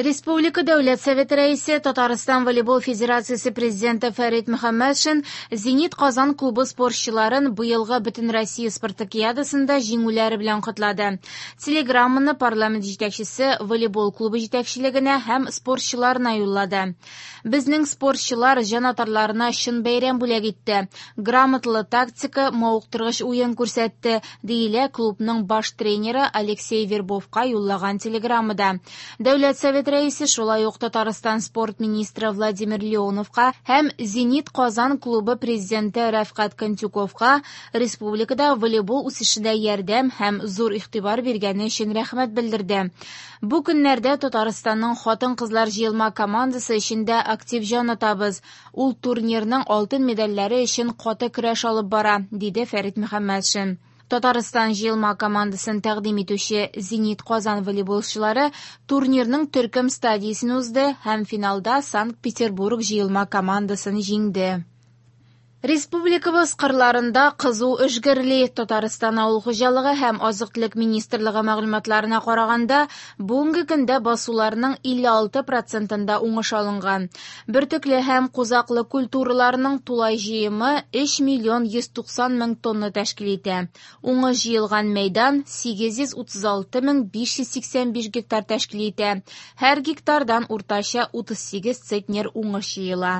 Республика Дәүләт Советы Рәисе, Татарстан волейбол федерациясе президенты Фәрит Мөхәммәтшин «Зенит Казан» клубы спортчыларын быелгы Бөтенроссия спартакиадасында җиңүләре белән котлады. Телеграмманы парламент җитәкчесе волейбол клубы җитәкчелегенә һәм спортчыларына юллады. Безнең спортчылар җанатарларына чын бәйрәм бүләк итте. Грамоталы тактика, мавыктыргыч уен күрсәтте, диелә клубның баш тренеры Алексей Вербовка юллаган телеграммада. Дәүләт Советы Рәисе шулай ук Татарстан спорт министры Владимир Леоновка һәм «Зенит Казан» клубы президенты Рәфкать Кантюковка республикада волейбол үсешенә ярдәм һәм зур игътибар биргәне өчен рәхмәт белдерде. Бу көннәрдә Татарстанның хатын-кызлар җыелма командасы эчендә актив җан атабыз. Ул турнирның алтын медальләре өчен каты көрәш алып бара, диде Фәрит Мөхәммәтшин. Татарстан җыелма командасын тәкъдим итүче «Зенит Казан» волейболчылары турнирның төркем стадиясен узды һәм финалда Санкт-Петербург җыелма командасын җиңде. Республикабыз кырларында кызу эш гөрли. Татарстан авыл хуҗалыгы һәм азык-төлек министрлыгы мәгълүматларына караганда, бүгенге көндә басуларның 56 процентында уңыш алынган. Бөртекле һәм кузаклы культураларның тулай җыемы 3 миллион 190 мең тонна тәшкил итә. Уңыш җыелган мәйдан 836 мең 585 гектар тәшкил итә. Һәр гектардан уртача 38 центнер уңыш җыела.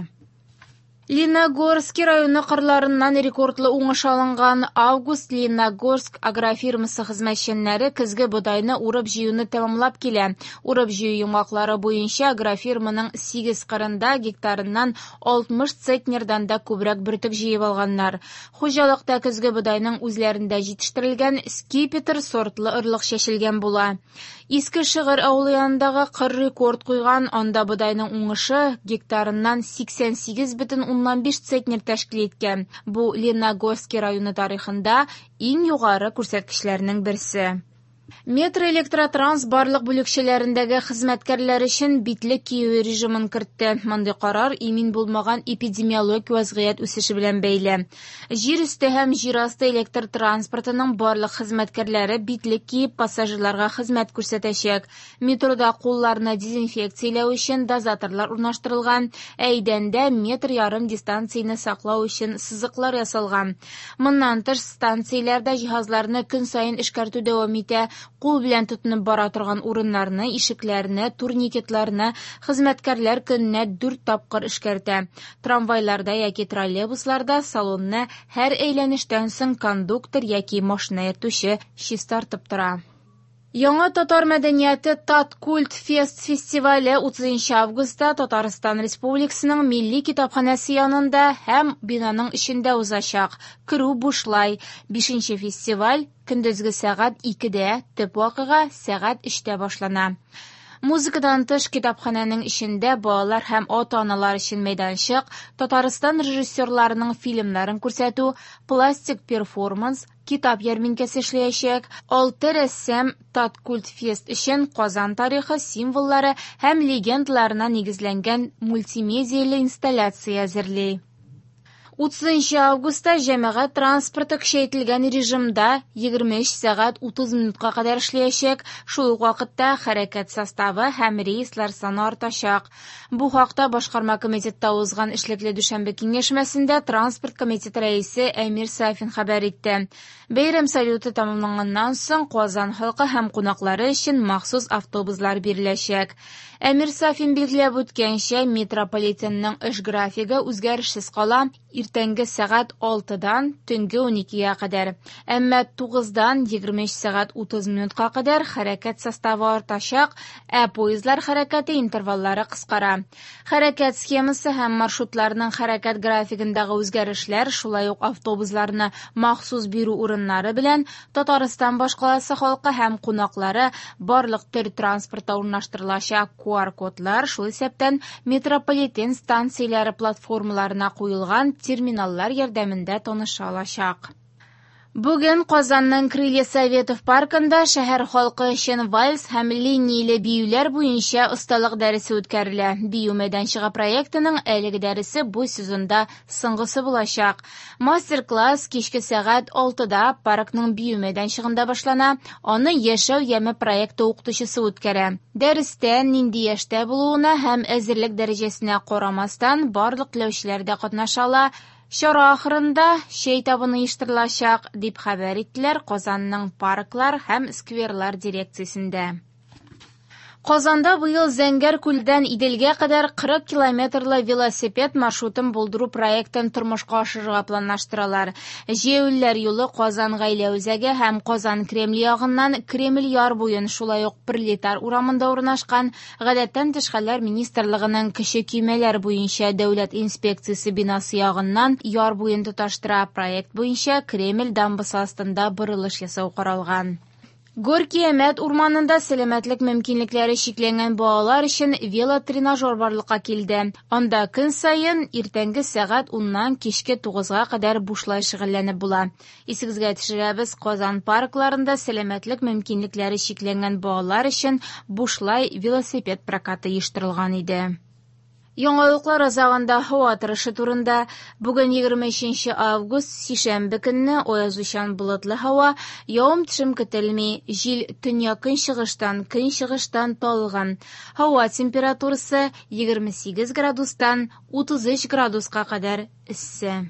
Лениногорский районы кырларыннан рекордлы уңыш алынган. Август Лениногорск агрофирмасы хезмәтчәннәре көзге бодайны урып-җыюны тәмамлап килә. Урып-җыю йомгаклары буенча агрофирманың 8 кырында гектарыннан 60 центнердан да күбрәк бөртек җыеп алганнар. Хуҗалыкта көзге бодайның үзләрендә җитештерелгән скипетр сортлы орлык чәчелгән була. Иске Шыгыр авылы янындагы кыр рекорд куйган, анда бодайның уңышы гектарыннан 88,5 центнер тәшкил иткән. Бу Лениногорский районы тарихында иң югары күрсәткечләрнең берсе. Метро Электротранс барлык бүлекчәләрендәге хезмәткәрләр өчен битлек кию режимын кертте. Мондый карар имин булмаган эпидемиологик вазгыять үсеше белән бәйле. Җир өсте һәм җир асты электр транспортының барлык хезмәткәрләре битлек киеп пассажирларга хезмәт күрсәтәчәк. Метрода кулларны дезинфекцияләү өчен дозаторлар урнаштырылган, ә идәндә метр ярым дистанцияне саклау өчен сызыклар ясалган. Моннан тыш станцияләрдә җиһазларны көн саен эшкәртү дәвам итә. Кул белән тотынып бара торган урыннарны, ишекләрне, турникетларны хезмәткәрләр көненә 4 тапкыр эшкәртә. Трамвайларда яки троллейбусларда салонны һәр әйләнештән соң кондуктор яки машина йөртүче чистартып тора. Яңа татар мәдәнияте Таткульт Фест фестивале 30 августта Татарстан Республикасының Милли китапханәсе янында һәм бинаның эчендә узачак. Керү бушлай. 5 фестиваль көндезге сәгать 2-дә, төп вакыйга сәгать 3-тә башлана. Музыкадан тыш китапханәнең эчендә балалар һәм ата-аналар өчен мәйданчык, Татарстан режиссерларының фильмнарын күрсәтү, пластик перформанс, китап ярминкәсе эшләячәк. 6 рәссам Таткульт Фест өчен Казан тарихы символлары һәм легендаларына нигезләнгән мультимедияле инсталляция әзерли. 30 августта җәмәгать транспорты көчәйтелгән режимда 23 сәгать 30 минутка кадәр эшләячәк. Шул ук вакытта хәрәкәт составы һәм рейслар саны артачак. Бу хакта башкарма комитетта узган эшлекле дүшәмбе киңәшмәсендә транспорт комитеты рәисе Әмир Сафин хәбәр итте. Бәйрәм салюты тәмамланганнан соң Казан халкы һәм кунаклары өчен махсус автобуслар биреләчәк. Әмир Сафин билгеләп үткәнчә, метрополитенның эш графигы үзгәрешсез кала. Иртәнге сәгать 6-дан төнге 12-гә кадәр. Әмма 9-дан 23 сәгать 30 минутка кадәр хәрәкәт составы артачак, ә поездлар хәрәкәте интерваллары кыскара. Хәрәкәт схемасы һәм маршрутларның хәрәкәт графигындагы үзгәрешләр, шулай ук автобусларны махсус бирү урыннары белән Татарстан башкаласы халкы һәм кунаклары барлык төр транспортта урнаштырылачак QR-кодлар, шул исәптән метрополитен станцияләре платформаларына куелган терминаллар ярдәмендә таныша алачак. Бүген Казанның Крылья Советов паркында шәһәр халкы өчен вальс һәм линияле биюләр буенча осталык дәресе үткәрелә. Бию мәйданчыгы проектының әлеге дәресе бу сезонда соңгысы булачак. Мастер-класс кичке сәгать 6-да паркның бию мәйданчыгында башлана. Аны Яшәү яме проекты укытучысы үткәрә. Дәрестә нинди яшьтә булуына һәм әзерлек дәрәҗәсенә карамастан, барлык теләүчеләр дә катнаша ала. Чара ахырында чәй табыны оештырылачак, дип хәбәр иттеләр Казанның парклар һәм скверлар дирекциясендә. Казанда быел Зәңгәр күлдән Иделгә кадәр 40 километрлы велосипед маршрутын булдыру проектын тормышка ашырырга планлаштыралар. Җәяүлеләр юлы Казан гаилә үзәге һәм Казан Кремле ягыннан Кремль яр буен, шулай ук Пролетар урамында урнашкан Гадәттән тыш хәлләр министрлыгының кече көймәләр буенча дәүләт инспекциясе бинасы ягыннан яр буен тоташтыра. Проект буенча Кремль дамбасы астында борылыш ясау каралган. Горки-Әмәт урманында сәламәтлек мөмкинлекләре чикләнгән балалар өчен велотренажер барлыкка килде. Анда көн саен иртәнге сәгать 10-нан кичке 9-га кадәр бушлай шөгыльләнеп була. Исегезгә төшерәбез, Казан паркларында сәламәтлек мөмкинлекләре чикләнгән балалар өчен бушлай велосипед прокаты оештырылган иде. Яңалыклар азагында һава торышы турында. Бүген 23 август, сишәмбе көнне аязучан болытлы һава, явым-төшем көтелми. Җил төньяк-көнчыгыштан, көнчыгыштан талгын. Һава температурасы 28 градустан 33 градуска кадәр эссе.